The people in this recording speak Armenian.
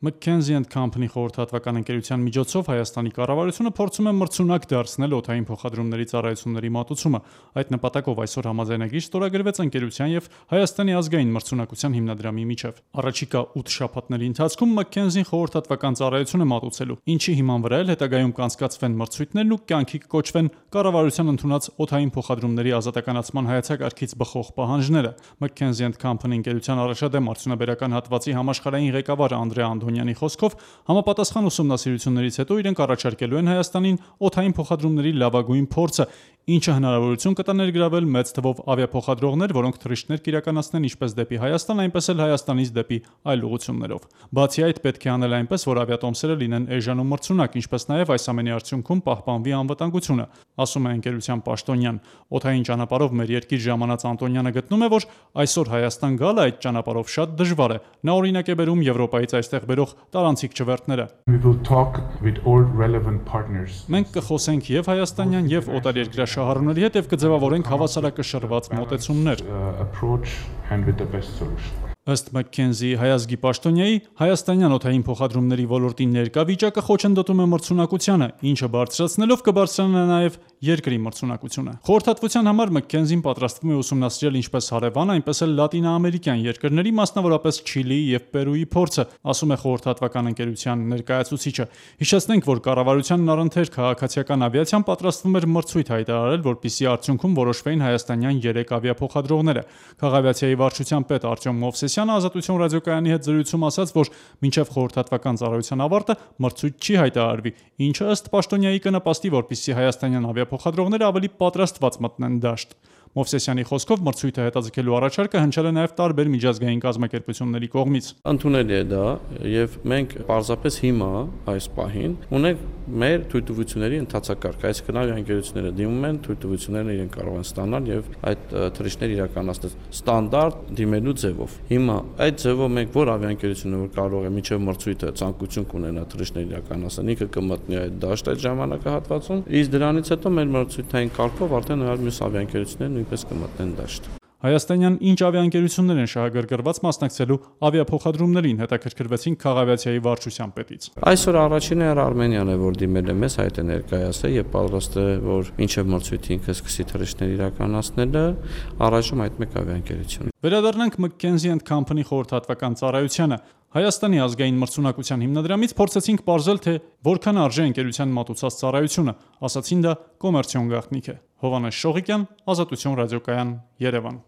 McKinsey & Company խորհրդատվական ընկերության միջոցով Հայաստանի կառավարությունը փորձում է մրցունակ դարձնել օդային փոխադրումների ծառայությունների մատուցումը։ Այդ նպատակով այսօր համաձայնագիր ստորագրվեց ընկերության եւ Հայաստանի ազգային մրցունակության հիմնադրամի միջև։ Առաջիկա 8 շաբաթների ընթացքում McKinsey-ն խորհրդատվական ծառայություն է մատուցելու, ինչի հիման վրա էլ հետագայում կանցկացվեն մրցույթներն ու կյանքի կոչվեն կառավարության ընդունած օդային փոխադրումների ազատականացման հայեցակարգից բխող պահանջները։ McKinsey & Company ընկերության առաջադեմ արդյունաբերական հատվածի համաշխարհային ղեկավար Անդրեա Անդոնյանի խոսքով համապատասխան ուսումնասիրություններից հետո իրենք առաջարկելու են Հայաստանին օդային փոխադրումների լավագույն փորձը, ինչը հնարավորություն կտա ներգրավել մեծ թվով ավիափոխադրողներ, որոնք թռիչքներ կիրականացնեն ինչպես դեպի Հայաստան, այնպես էլ Հայաստանից դեպի այլ ուղղություններով։ Բացի այդ, պետք է անել այնպես, որ ավիատոմսերը լինեն էժան ու մրցունակ, ինչպես նաև այս ամենի արդյունքում պահպանվի անվտանգությունը, ասում է ընկերության պաշտոնյան։ Օդային ճանապարհով մեր երկիր ժամանած Անդոնյանը գտնում է, որ այսօր Հայաստան գալը այդ ճանապարհով շատ դժվար է։ Նա օրինակ է բերում Եվրոպայից այստեղ բերող տարանցիկ չվերթները։ Մենք կխոսենք եւ հայաստանյան եւ օտարերկրյա շահառուների հետ եւ կձևավորենք հավասարակշռված մոտեցումներ։ Ըստ McKinsey հայազգի պաշտոնյայի, հայաստանյան օդային փոխադրումների ոլորտի ներկա վիճակը խոչընդոտում է մրցունակությանը, ինչը բարձրացնելով կբարձրանա նաև երկրի մրցունակությունը։ Խորհրդատվության համար McKinsey-ն պատրաստվում է ուսումնասիրել ինչպես հարևան, այնպես էլ լատինաամերիկյան երկրների, մասնավորապես Չիլիի եւ Պերուի փորձը, ասում է խորհրդատվական ընկերության ներկայացուցիչը։ Հիշեցնենք, որ կառավարությանն առընթեր քաղաքացիական ավիացիան պատրաստվում էր մրցույթ հայտարարել, որպեսզի արդյունքում որոշվեին հայաստանյան 3 ավիափոխադրողները։ Քաղաքավիացիայի վարչության պետ Արտյոմ Մովսեսյանը Ազատություն ռադիոկայանի հետ զրույցում ասաց, որ մինչև խորհրդատվական ծառայության ավարտը մրցույթ չի հայտարարվի, ինչը ըստ պաշտոնյայի կնպաստի, որպեսզի հայաստանյան ավիափոխադրողները ավելի պատրաստված մտնեն դաշտ։ Մովսեսյանի խոսքով մրցույթը հետաձգելու առաջարկը հնչել է նաև տարբեր միջազգային կազմակերպությունների կողմից։ Ընդունելի է դա եւ մենք պարզապես հիմա այս պահին ունենք մեր թույլտվությունների ընթացակարգ, այսինքն ավիաընկերությունները դիմում են, թույլտվությունները իրենք կարող են ստանալ եւ այդ թռիչքները իրականացնել ստանդարտ դիմելու ձևով։ Հիմա այդ ձևով մենք որ ավիաընկերությունը որ կարող է միջև մրցույթը ցանկություն կունենա թռիչքներ իրականացնել, ինքը կմտնի այդ դաշտ այդ ժամանակահատվածում, իսկ դրանից հետո մեր մրցույթային կարգով արդեն մյուս ավիաընկերությունները նույնպես կմտնեն դաշտ։ Հայաստանյան ինչ ավիաընկերություններ են շահագրգռված մասնակցելու ավիափոխադրումներին, հետաքրքրվեցին քաղաքավիացիայի վարչության պետից։ Այսօր առաջինը Արմենիան է, որ դիմել է մեզ, հայտ է ներկայացել եւ պատրաստ է, որ մինչեւ մրցույթի ինքը սկսի թռիչքներ իրականացնելը, առայժմ այդ մեկ ավիաընկերություն։ Վերադառնանք McKinsey & Company խորհրդատվական ծառայությանը։ Հայաստանի ազգային մրցունակության հիմնադրամից փորձեցինք պարզել, թե որքան արժե ընկերության մատուցած ծառայությունը, ասացին դա կոմերցիոն գաղտնիք է։ Հովհաննես Շողիկյան, Ազատություն ռադիոկայան, Երևան։